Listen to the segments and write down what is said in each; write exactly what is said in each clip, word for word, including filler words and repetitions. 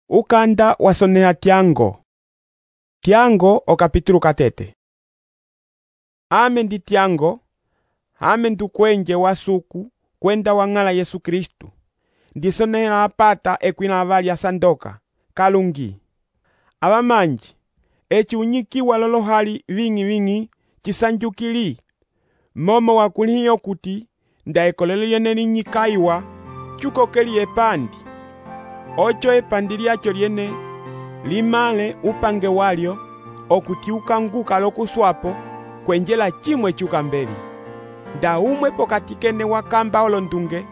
Ukanda wasonea Tiango. Tiango o capítulo katete. Ame ndi Tiango, ame ndukwenje wasuku kwenda wang'ala Yesu Kristu. Ndisonera apata ekwina avali asandoka, kalungi. Abamanji, echi unyikiwa lolohali vingi vingi chisanjukili. Momo wakuliyo kuti ndaekolelo yene linyikaiwa chukokeli epandi. Ocho epandi lyacho lyene limale upange walyo okuti ukanguka lokuswapo kwenjela chimwe chukambeli. Nda umwe pokati kene wakamba olondunge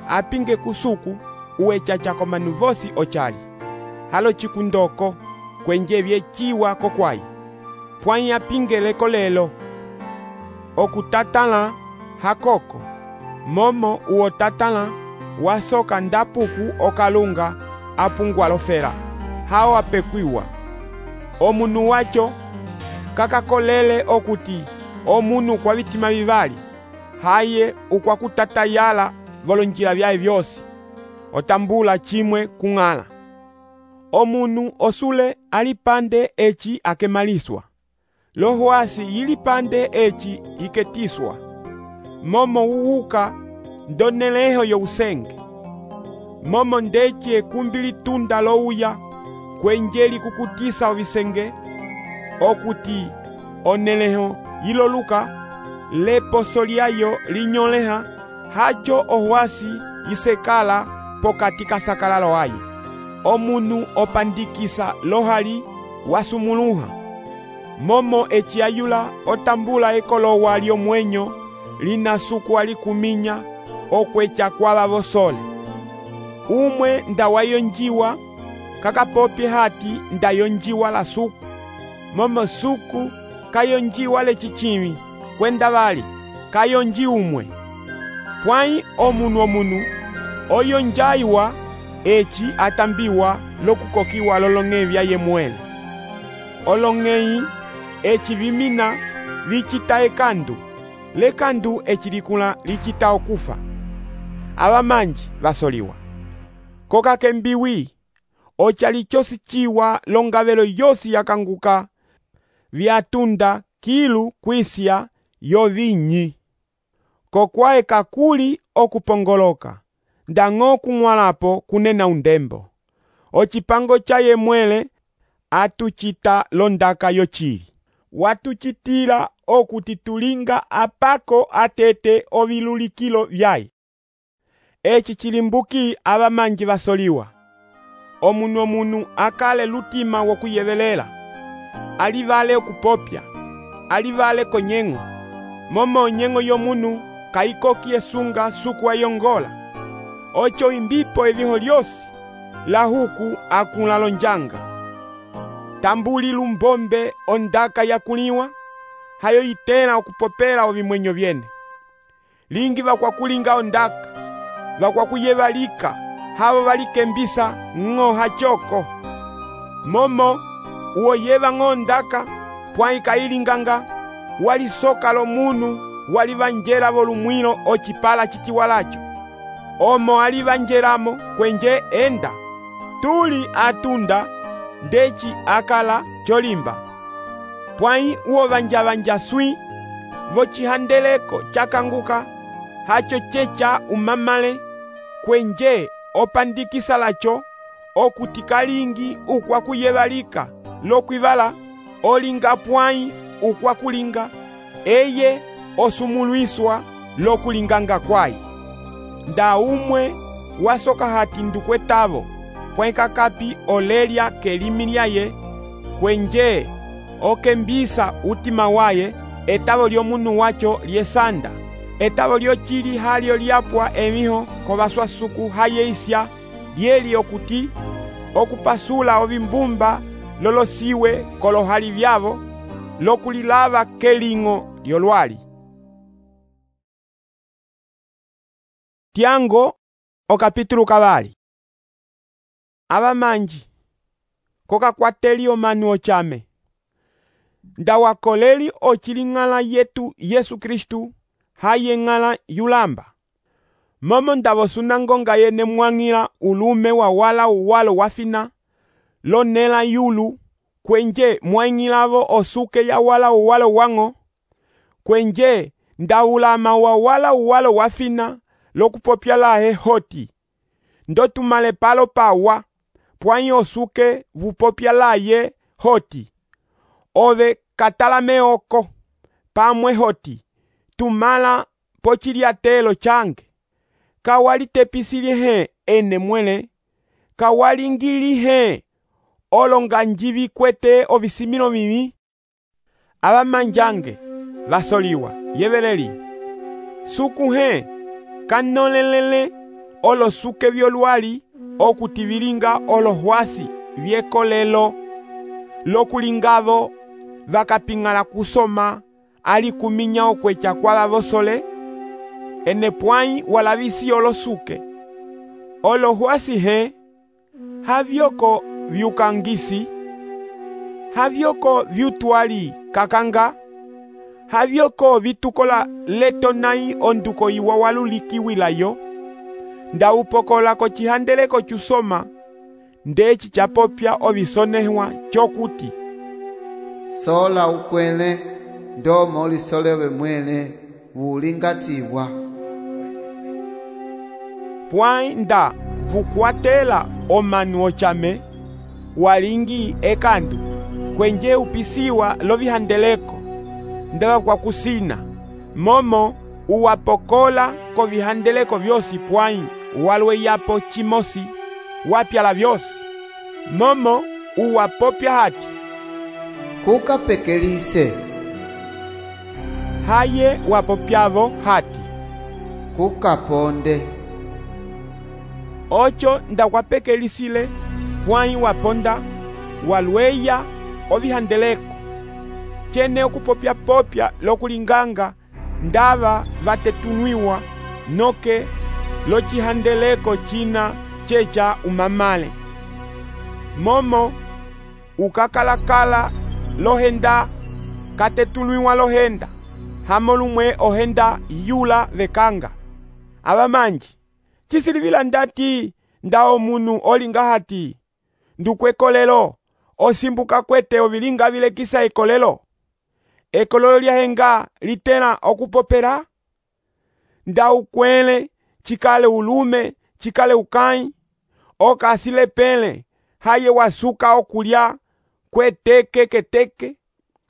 apinge kusuku uwechacha komanu vosi ochali. Halo chikundoko kwenje vyechiwa kokwai. Pwai apinge leko lelo okutatala hakoko. Momo uotatala wasoka ndapuku okalunga apungwa lofera. Hao apekwiwa. Omunu wacho kakakolele okuti omunu kwa vitima vivali. Haye ukwa kutatayala volonjila vyae vyosi. Otambula chimwe kung'ala. Omunu osule alipande echi akemaliswa. Lohwasi yilipande echi iketiswa. Momo uwuka ndoneleho yo usenge. Momo ndechi ekumbili tunda louya kwenjeli kukutisa ovisenge okuti oneleho yiloluka leposo lyayo linyoleha hacho ohwasi isekala pokati kasakalalo aye. Omunu opandikisa lohali wasumuluha. Momo echiayula otambula ekolowa lyomwenyo linasuku alikuminya okwecha kwaba bosole. Umwe ndawayonjiwa kakapopye hati ndayonjiwa la suku. Momo suku kayonjiwa lechichimi kwenda bali kayonji umwe. Pwai omunu omunu oyonjaiwa echi atambiwa lokukokiwa lolong'evya yemwele. Olong'ei echi vimina vichita ekandu. Lekandu echi likula lichita okufa. Abamanji basoliwa. Koka kembiwi ochali chosi chiwa longavelo yosi yakanguka vyatunda kilu kwisya yovinyi. Kokwae kakuli okupongoloka ndang'o kung'walapo kunena undembo. Ochipango cha yemwele atuchita londaka yochili. Watuchitila okuti tulinga apako atete ovilulikilo vyai. Echi chilimbuki abamanji basoliwa. Omunu omunu akale lutima wokuyevelela. Alivale okupopya. Alivale konyeng'o. Momo nyeng'o yomunu kaikoki esunga suku ayongola. Ocho imbipo eviho lyosi la huku akula lonjanga. Tambuli lumbombe ondaka yakuliwa. Hayo itela okupopela ovimwenyo vyene. Lingi vakwa kulinga ondaka. Vakwa kuyevalika. Havo valikembisa ng'o hachoko. Momo uoyeva ng'ondaka pwai kailinganga walisoka lo munu walivanjela volumwilo ochipala chitiwalacho. Omo alivanjelamo kwenje enda. Tuli atunda ndechi akala cholimba. Pwai uovanjavanja swi vochihandeleko chakanguka hacho checha umamale kwenje opandikisa lacho okuti kalingi ukwa kuyevalika lokwivala olinga pwai ukwa kulinga eye osumuluiswa lokulinganga kwai. Nda umwe wasoka hati ndukwetavo pwai kakapi olelia kelimi lyaye kwenje okembisa utima waye etavo lyomunu wacho lyesanda. Etavo lyochili halyo lyapwa emiho kovaswa suku hayeisya lyeli okuti okupasula ovimbumba lolosiwe kolohali vyavo lokulilava keling'o lyolwali. Tiango o capítulo kabali. Abamanji kokakwateli omanu ochame. Ndawakoleli ochiling'ala yetu Yesu Kristu haye ng'ala yulamba. Momo ndavosuna ngonga yene mwang'ila ulume wa wala uwalo wafina lonela yulu, kwenje mwaingilavo osuke ya wala uwalo wango, kwenje ndaulama wa wala uwalo wafina lokupopya lahe hoti, ndotumale palo pawa, pwanyi osuke vupopya laye hoti, ove katalame oko, pamwe hoti, tumala pochiliatelo change, kawali tepisilihe ene mwele, kawali ngilihe olonga njivi kwete ovisimilo mimi, abamanjange vasoliwa yeveleli, sukuhe kanolelele olosuke vyolwali okutivilinga olohwasi vyekolelo lokulingavo vakapingala kusoma ali kuminya okwecha kwa vosole, ene pwanyi walavisi olosuke olohwasi he havyoko vyukangisi, havyoko vyutwali kakanga, havyoko vitukola letonai onduko iwa walulikiwilayo, ndaupokola kochihandeleko chusoma ndechi chapopya ovisonehwa chokuti sola ukwele ndomo olisolewe mwele wulingatibwa. Pwai nda vukwatela omanu ochame walingi ekandu kwenje upisiwa lovihandeleko ndava kwa kusina momo uwapokola ko vihandeleko vyosi pwai walwe yapo chimosi wapyala vyosi momo uwapopya hati kukapekelise haye wapopyavo hati kukaponde ocho ndakwapekelisile pwai waponda walweya ovihandeleko chene okupopya popya lokulinganga ndava vatetunwiwa noke lochihandeleko china checha umamale momo ukakalakala lohenda katetunwiwa lohenda hamolumwe ohenda yula vekanga abamanji chisilivila ndati ndao munu olinga hati ndukwekolelo osimbuka kwete ovilinga vilekisa ekolelo ekolelo lyahenga litela okupopera ndaukwele chikale ulume chikale ukai okasile pele haye wasuka okulya kweteke keteke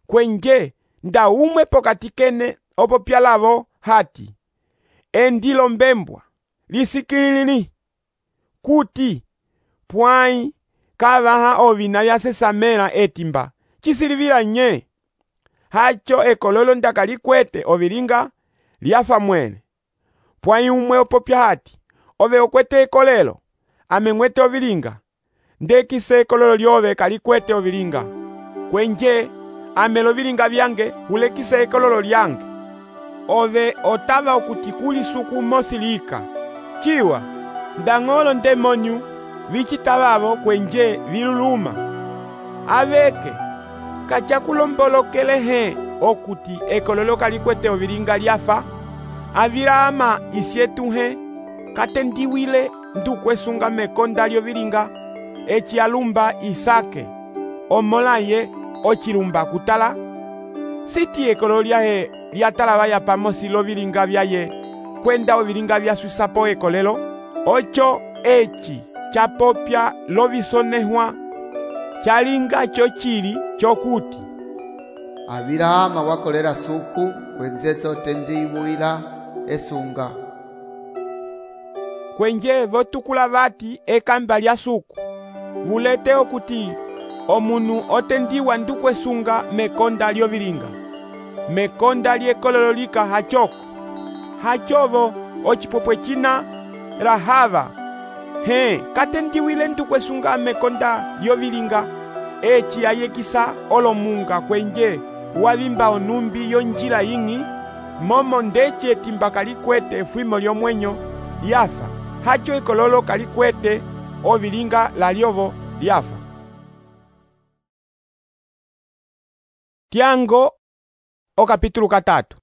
kwenje ndaumwe pokati kene opopyalavo hati endilo mbembwa lisikilili kuti pwai kavaha ovina vyasesamela etimba chisilivila nye hacho ekololo ndakalikwete ovilinga lyafa mwene pwai umwe opopya hati ove okwete ekolelo ameng'wete ovilinga ndekise ekololo lyove kalikwete ovilinga kwenje amelo vilinga vyange hulekise ekololo lyange ove otava okuti kuli suku mosilika chiwa ndang'olo ndemonyu vichitavavo kwenje viluluma aveke kachakulombolokelehe okuti ekololo kalikwete ovilinga lyafa avilama isyetuhe katendiwile ndukwesunga mekonda lyovilinga eci alumba Isake omolaye ochilumba kutala siti ekololo lyahe lyatalava yapamosi lovilinga vyaye kwenda ovilinga vyaswisapo ekolelo ocho eci chapopya lovisonehwa chalinga chochili chokuti Abirahama wakolera suku kwenzetso tendiwila esunga kwenje votukula vati ekamba lya suku vulete okuti omunu otendiwa ndukwesunga mekonda lyovilinga mekonda lyekololo lika hachoko hachovo ochipopwe china Rahava he katendiwile ndukwesunga mekonda lyovilinga eci ayekisa olomunga kwenje wavimba onumbi yonjila ying'i momo ndeci etimba kalikwete efwimo lyomwenyo lyafa hacho ekololo kalikwete ovilinga lalyovo lyafa. Tiango okapitulu katatu.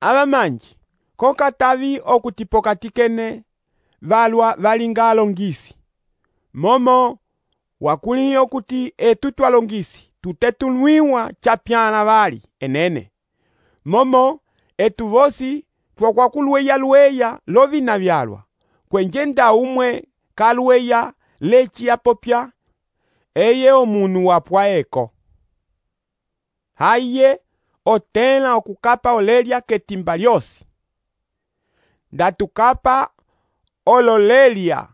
Abamanji kokatavi okutipokati kene valwa valinga alongisi momo wakulihi okuti etu twalongisi tutetulwiwa chapyana vali enene. Momo etu vosi twakwakulweya lweya lovina vyalwa, kwenje nda umwe kalweya lechi yapopya eye omunu wapwa eko. Haye otela okukapa olelia ketimba lyosi. Ndatukapa ololelia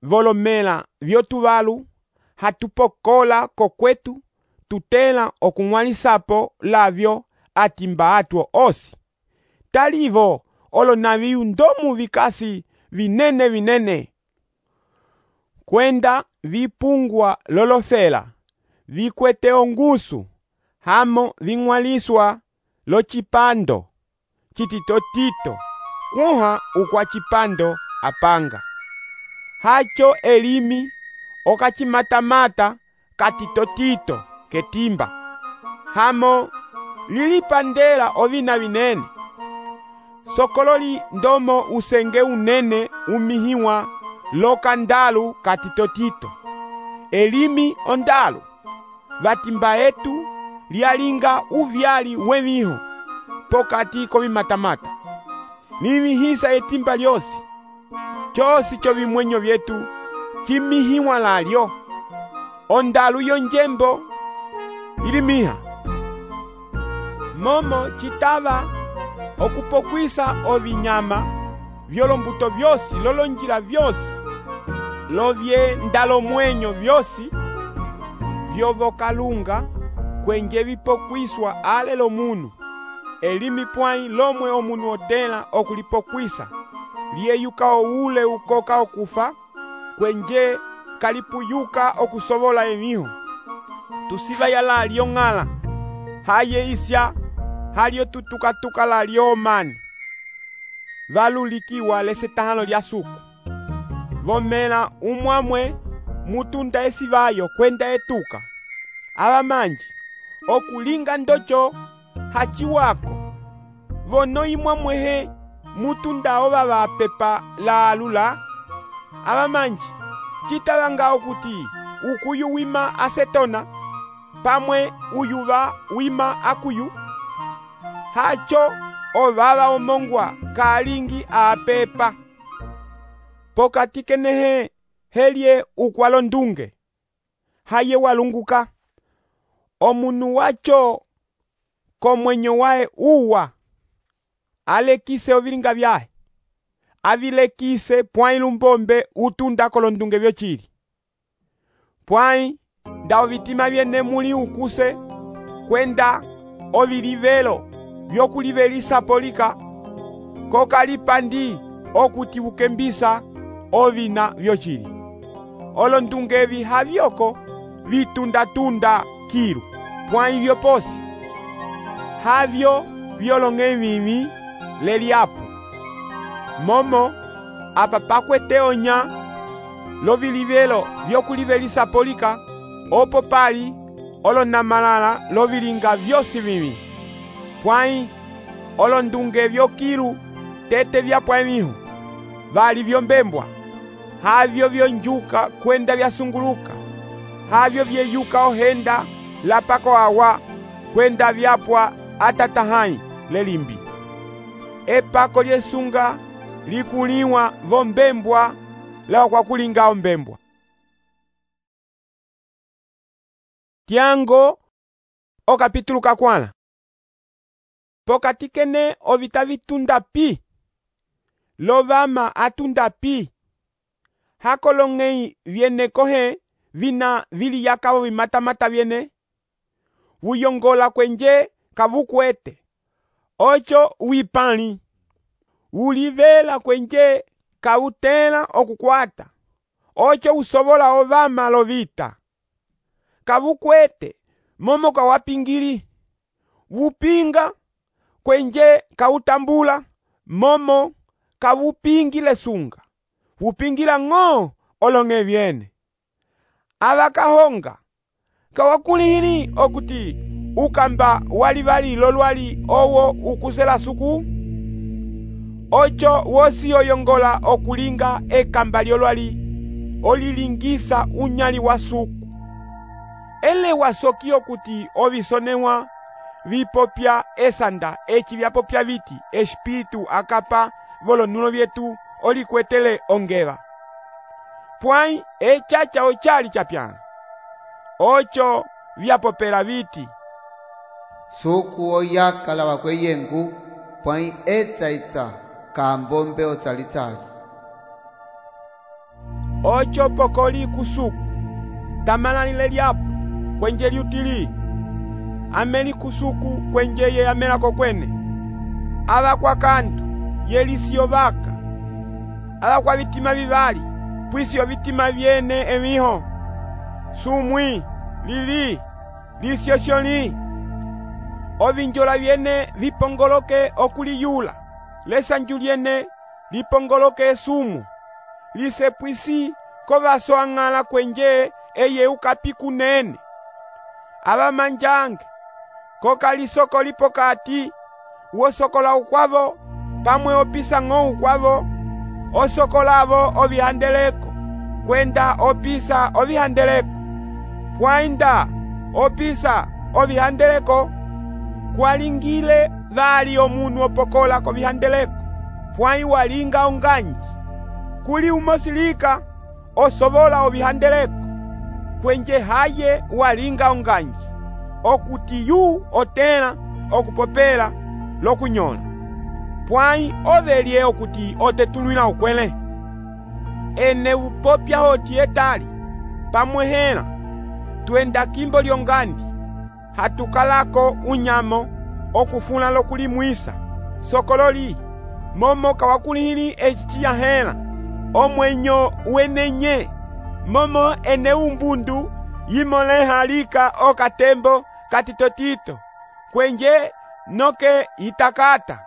volomela vyotuvalu hatupokola kokwetu tutela okung'walisapo lavyo atimba atwo osi. Talivo olonaviu ndomu vikasi vinene vinene. Kwenda vipungwa lolofela, vikwete ongusu, hamo ving'waliswa lo chipando, chititotito, kuha ukwa chipando apanga. Hacho elimi okachimatamata katitotito ketimba. Hamo lilipandela ovina vinene. Sokololi ndomo usenge unene umihiwa lokandalu katitotito. Elimi ondalu. Vatimba etu lialinga uvyali wemiho pokati kovimatamata. Nivihisa etimba lyosi. Chosi cho vimwenyo vyetu chimihiwa lalyo. Ondalu yonjembo ilimiha. Momo chitava okupokwisa ovinyama vyolombuto vyosi lolonjila vyosi lovye ndalo mwenyo vyosi vyovokalunga kwenje vipokwiswa ale lomunu. Elimi pwai lomwe omunu otela okulipokwisa liyeyuka oule ukoka okufa kwenje kalipuyuka okusovola emiho. Tusiva yala lyong'ala haye isya halio tutukatuka la lyomani. Valulikiwa lesetahano lya suku. Vomela umwamwe mutunda esivayo kwenda etuka. Abamanji okulinga ndocho hachiwako. Vono imwamwehe mutunda oba vapepa la alula. Abamanji chitavanga okuti ukuyu wima asetona pamwe uyuva wima akuyu. Hacho ovava omongwa kalingi apepa. Pokati kenehe helye ukwalo ndunge. Haye walunguka. Omunu wacho komwenyo wae uwa. Alekise ovilinga vyae. Avilekise pwai lumbombe utunda kolondunge vyochili. Pwai nda ovitima vyene muli ukuse kwenda ovilivelo vyokulivelisa polika kokalipandi okuti ukembisa ovina vyochili. Olondunge evi havyoko vitunda-tunda kilu pwai vyoposi. Havyo vyolonge vimi leliapo. Momo apa pakwete onya lovilivelo vyokulivelisa polika opo pali olonamalala lovilinga vyosi vimi. Pwai olondunge vyokilu tete vya pwemihu vali vyombembwa. Havyo vyonjuka kwenda vyasunguluka. Havyo vyeyuka ohenda lapako awa kwenda vyapwa atatahai lelimbi. Epako lyesunga likuliwa vombembwa lao kwa kulinga ombembwa. Tiango o kapitulu kakwala. Pokati kene ovita vitunda pi. Lovama atunda pi. Hakolongei viene kohe vina vili yakavo vimatamata viene. Vuyongola kwenje kavukwete. Ocho wipani. Ulivela kwenje kavutela okukwata. Ocho usovola ovama lovita. Kavukwete momo kawapingili. Vupinga kwenje kautambula momo kavupingile sunga. Vupingila ng'o olonge viene. Avakahonga kawakulihili okuti ukamba walivali lolwali owo ukuzela suku. Ocho wosi oyongola okulinga ekamba lyolwali olilingisa unyali wa suku. ele wasoki okuti ovisonewa vipopya esanda eci vyapopya viti espiritu akapa volonulo vyetu olikwetele ongeva. Pwai echacha ochali chapyana ocho vyapopela viti suku oyakala wakweyengu pwai etsa itsa kambombe otsalitali ocho pokoli kusuku tamalalile lyapo kwenje lyutili ameli kusuku kwenje ye yamelako kwene ava kwa kantu yelisio vaka ava kwa vitima vivali pwisio vitima vyene emiho sumwi lili lisio sholi ovinjola vyene vipongoloke okuliyula lesanju lyene lipongoloke sumu lisepwisi kovaso ang'ala kwenje eye ukapi kunene ava manjange kokalisoko lipokati wosokola ukwavo pamwe opisa ng'o ukwavo osokolavo ovihandeleko kwenda opisa ovihandeleko pwainda opisa ovihandeleko kwalingile vali omunu opokola kovihandeleko pwai walinga onganji kuli umosilika osobola ovihandeleko kwenje haye walinga onganji okuti yu otela okupopela lokunyola pwai ovelye okuti otetulwila ukwele ene upopya hoti etali pamwehela twenda kimbo lyongandi hatukalako unyamo okufuna lokulimwisa sokololi momo kawakulihili eciciyahela omwenyo wenenye momo ene umbundu yimolehalika okatembo katitotito kwenje noke itakata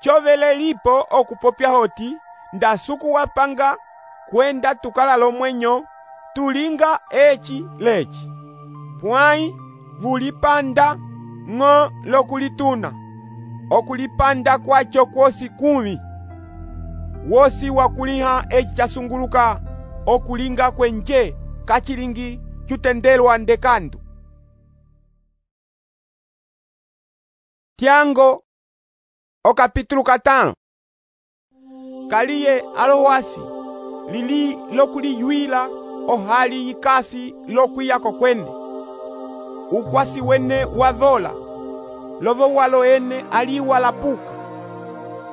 chovele lipo okupopya hoti ndasuku wapanga kwenda tukala lomwenyo tulinga eci leci pwai vulipanda ng'o lokulituna okulipanda kwacho kwosi kumi wosi wakuliha eci chasunguluka okulinga kwenje kachilingi chutendelwa ndekandu Tiango okapitulu katano kaliye alowasi lili lokuliyuila ohali yikasi lokwiyako kwene ukwasi wene wavola lovo walo ene aliwa lapuka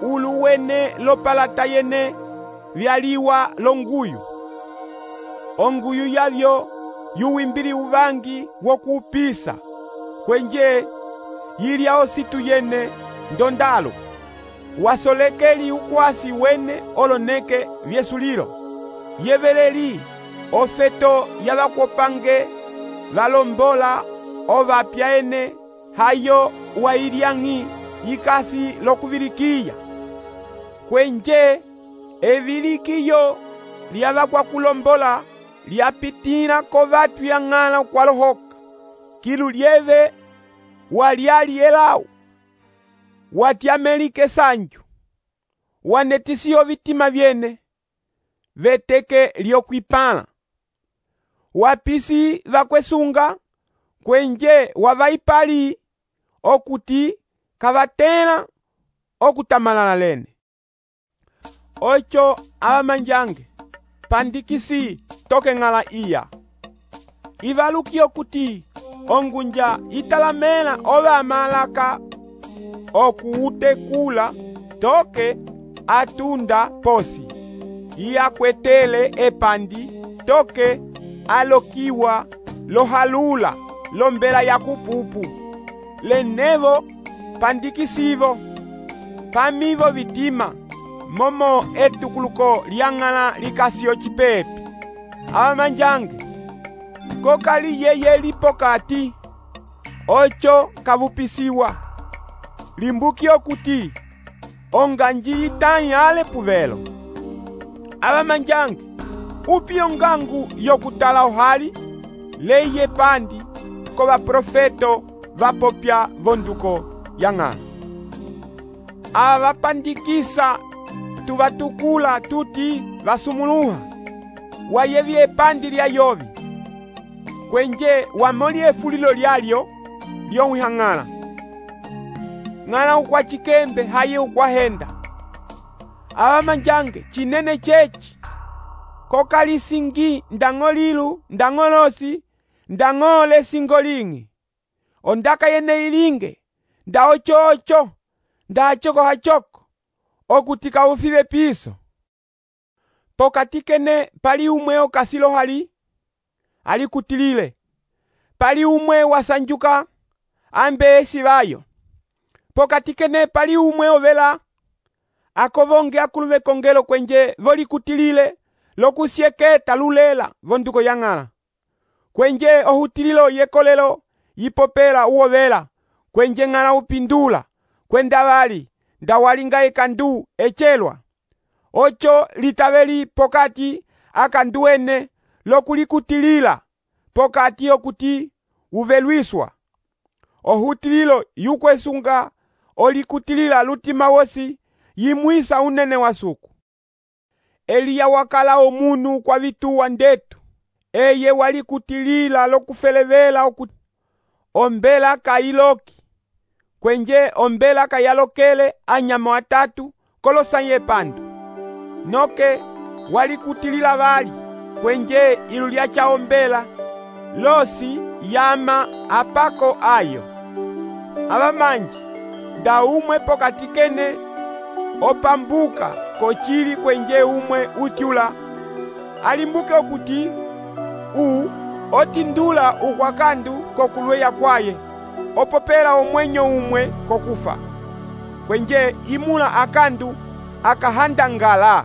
ulu wene lopalata yene vyaliwa longuyu onguyu yavyo yuwimbili uvangi wokupisa kwenje yilya ositu yene ndondalo wasolekeli ukwasi wene oloneke vyesulilo yeveleli ofeto yavakwopange valombola ovapya ene hayo wailiang'i yikasi lokuvilikiya kwenje evilikiyo lyavakwakulombola lyapitila kovatu yang'ala kwalohoka kilu lyeve walyali elau watyamelike sanju wanetisiyo vitima vyene veteke lyokwipala wapisi vakwesunga kwenje wavaipali okuti kavatela okutamalala lene ocho avamanjange pandikisi toke ng'ala iya ivaluki okuti ongunja italamela ove amalaka okuutekula toke atunda posi iyakwetele epandi toke alokiwa lohalula lombela ya kupupu lenevo pandikisivo pamivo vitima momo etukuluko lyang'ala likasiyo cipepi avamanjange kokali yeye lipokati ocho kavupisiwa limbuki okuti onganji itanyi ale puvelo avamanjange upi ongangu yokutala ohali leye pandi kova profeto vapopya vonduko yang'ala ava vapandikisa tuvatukula tuti vasumuluha wayevye epandi lya yovi kwenje wamoli efulilo lyalyo lyowihang'ala. Ng'ala ukwachikembe haye ukwahenda. Abamanjange chinene chechi kokalisingi ndang'olilu ndang'olosi ndang'ole singoling'i. Ondaka yene ilinge nda ocho-ocho nda achoko-hachoko okutika ufibe piso. Pokati kene pali umwe okasilo hali ali kutilile. Pali umwe wasanjuka ambe esi bayo. Pokati kene pali umwe ovela akovonge akulume kongelo kwenje voli kutilile lokusieketa lulela vonduko yang'ala. Kwenje ohutililo yekolelo yipopela uovela kwenje ng'ala upindula kwenda bali ndawalinga ekandu echelwa. Ocho litabeli pokati akanduene lokulikutilila pokati okuti uvelwiswa. Ohutililo yukwesunga olikutilila lutima wosi yimwisa unene wasuku. Eliya wakala omunu kwa vituwa ndetu. Eye walikutilila lokufelevela okuti ombela kailoki. Kwenje ombela kayalokele anyama watatu kolosanye pandu. Noke walikutilila bali kwenje ilu lyacha ombela losi yama apako ayo. Abamanji nda umwe pokati kene opambuka kochili kwenje umwe utyula alimbuke okuti u otindula ukwakandu kokulweya kwaye opopela omwenyo umwe kokufa. Kwenje imula akandu akahandangala.